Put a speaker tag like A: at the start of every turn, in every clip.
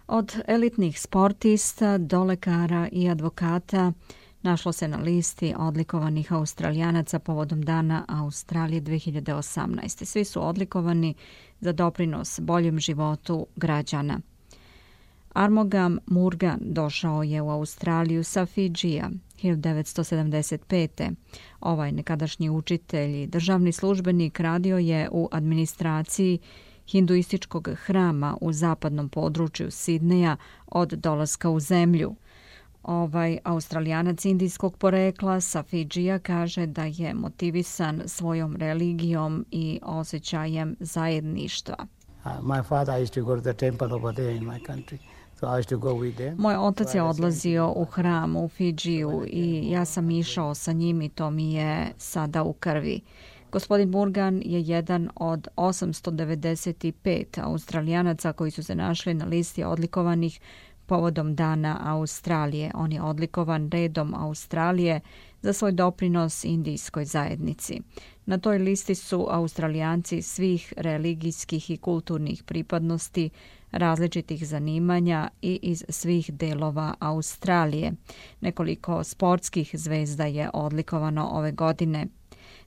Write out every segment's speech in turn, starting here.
A: Od elitnih sportista do lekara i advokata našlo se na listi odlikovanih Australijanaca povodom Dana Australije 2018. Svi su odlikovani za doprinos boljem životu građana. Armugam Morgan došao je u Australiju sa Fidžija 1975. Ovaj nekadašnji učitelj i državni službenik radio je u administraciji hinduističkog hrama u zapadnom području Sidneja od dolaska u zemlju. Ovaj Australijanac indijskog porekla sa Fidžija kaže da je motivisan svojom religijom i osjećajem zajedništva. Moj otac je odlazio u hram u Fidžiju i ja sam išao sa njim i to mi je sada u krvi. Gospodin Morgan je jedan od 895 Australijanaca koji su se našli na listi odlikovanih povodom Dana Australije. On je odlikovan redom Australije za svoj doprinos indijskoj zajednici. Na toj listi su Australijanci svih religijskih i kulturnih pripadnosti, različitih zanimanja i iz svih delova Australije. Nekoliko sportskih zvezda je odlikovano ove godine.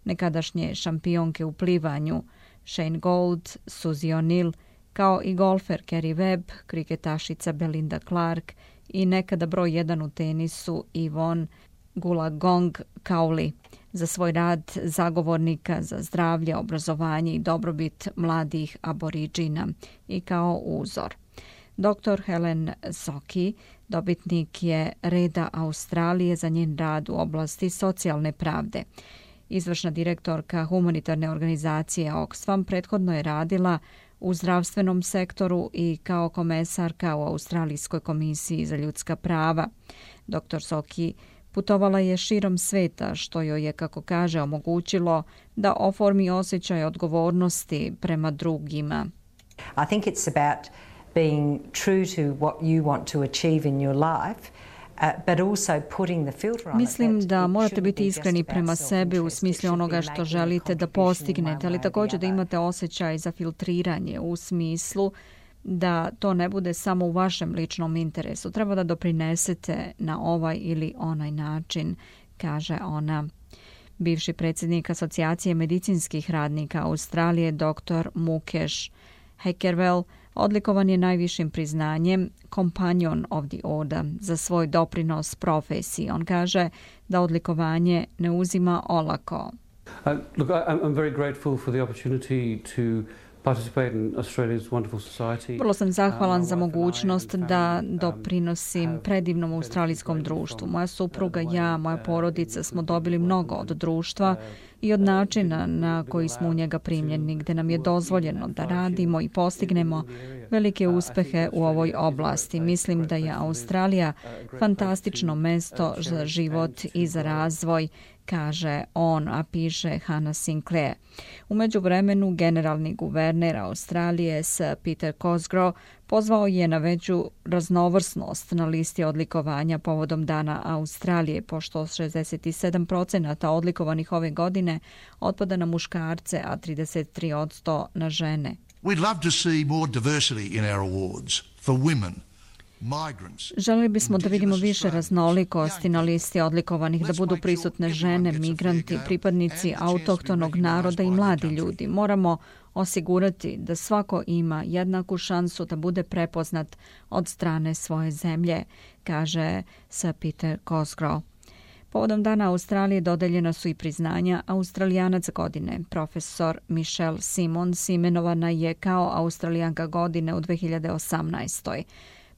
A: Nekadašnje šampionke u plivanju Shane Gould, Suzy O'Neill, kao i golfer Kerry Webb, kriketašica Belinda Clark i nekada broj 1 u tenisu Yvonne Goolagong Cowley za svoj rad zagovornika za zdravlje, obrazovanje i dobrobit mladih aboriđina i kao uzor. Dr. Helen Sokey dobitnik je reda Australije za njen rad u oblasti socijalne pravde. Izvršna direktorka humanitarne organizacije Oxfam prethodno je radila u zdravstvenom sektoru i kao komesarka u Australijskoj komisiji za ljudska prava. Dr. Sokey putovala je širom sveta, što joj je, kako kaže, omogućilo da oformi osjećaj odgovornosti prema drugima.
B: I think it's about being true to what you want to achieve in your life.
A: Mislim da morate biti iskreni prema sebi u smislu onoga što želite da postignete, ali također da imate osjećaj za filtriranje u smislu da to ne bude samo u vašem ličnom interesu. Treba da doprinesete na ovaj ili onaj način, kaže ona. Bivši predsjednik Asocijacije medicinskih radnika Australije, dr. Mukesh Heckerwell, odlikovan je najvišim priznanjem Companion of the Order za svoj doprinos profesiji. On kaže da odlikovanje ne uzima olako.
C: Look, I'm very grateful for the opportunity to participate in Australia's wonderful society.
A: Vrlo sam zahvalan za mogućnost da doprinosim predivnom australijskom društvu. Moja supruga, ja, moja porodica smo dobili mnogo od društva i od načina na koji smo u njega primljeni, gde nam je dozvoljeno da radimo i postignemo velike uspehe u ovoj oblasti. Mislim da je Australija fantastično mesto za život i za razvoj, kaže on, a piše Hannah Sinclair. U međuvremenu generalni guverner Australije Sir Peter Cosgrove pozvao je na veću raznovrsnost na listi odlikovanja povodom Dana Australije, pošto 67% odlikovanih ove godine otpada na muškarce, a 33% na žene.
D: We'd love to see more diversity in our awards for women.
A: Želili bismo da vidimo više raznolikosti na listi odlikovanih, da budu prisutne žene, migranti, pripadnici autohtonog naroda i mladi ljudi. Moramo osigurati da svako ima jednaku šansu da bude prepoznat od strane svoje zemlje, kaže Sir Peter Cosgrove. Povodom Dana Australije dodeljena su i priznanja Australijanac godine. Profesor Michelle Simons imenovana je kao Australijanka godine u 2018.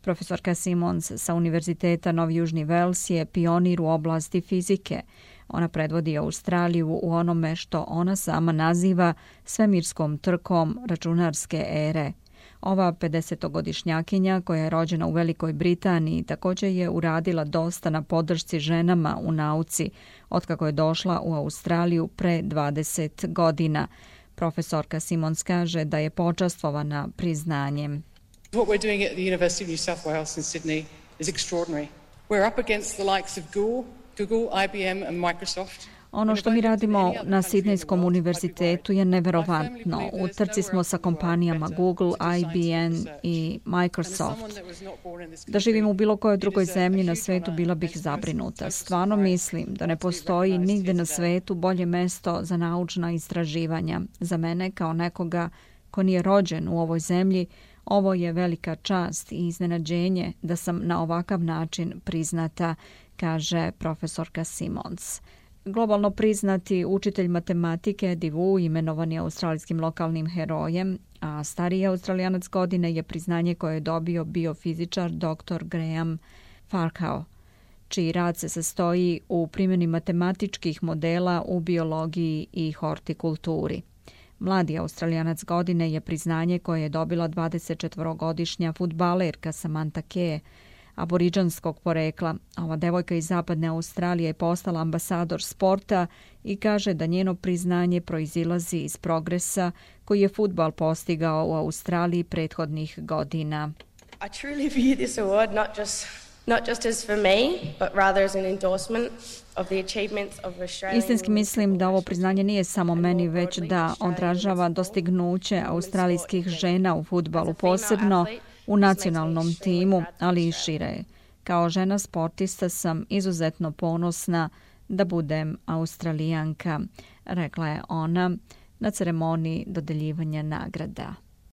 A: Profesorka Simons sa Univerziteta Novi Južni Vels je pionir u oblasti fizike. Ona predvodi Australiju u onome što ona sama naziva svemirskom trkom računarske ere. Ova 50-godišnjakinja koja je rođena u Velikoj Britaniji također je uradila dosta na podršci ženama u nauci otkako je došla u Australiju pre 20 godina. Profesorka Simons kaže da je počastvovana priznanjem.
E: What we're doing at the University of New South Wales in Sydney is extraordinary. We're up against the likes of Google, IBM and Microsoft.
A: Ono što mi radimo na Sidnejskom univerzitetu je neverovatno. U trci smo sa kompanijama Google, IBM i Microsoft. Da živim u bilo kojoj drugoj zemlji na svetu bila bih zabrinuta. Stvarno mislim da ne postoji nigde na svetu bolje mesto za naučna istraživanja. Za mene kao nekoga ko nije rođen u ovoj zemlji, ovo je velika čast i iznenađenje da sam na ovakav način priznata, kaže profesorka Simons. Globalno priznati učitelj matematike Eddie Wu imenovan je australijskim lokalnim herojem, a stariji Australijanac godine je priznanje koje je dobio biofizičar dr. Graham Farquhar, čiji rad se sastoji u primjeni matematičkih modela u biologiji i hortikulturi. Mladi Australijanac godine je priznanje koje je dobila 24-godišnja fudbalerka Samantha Kee, aboriđanskog porekla. Ova devojka iz zapadne Australije je postala ambasador sporta i kaže da njeno priznanje proizilazi iz progresa koji je fudbal postigao u Australiji prethodnih godina.
F: I truly view this award not just as for me, but rather as an endorsement of the achievements of Australian.
A: Istinski mislim da ovo priznanje nije samo meni, već da odražava dostignuće australijskih žena u fudbalu, posebno u nacionalnom timu, ali i šire. Kao žena sportista sam izuzetno ponosna da budem Australijanka, rekla je ona na ceremoniji dodeljivanja nagrada.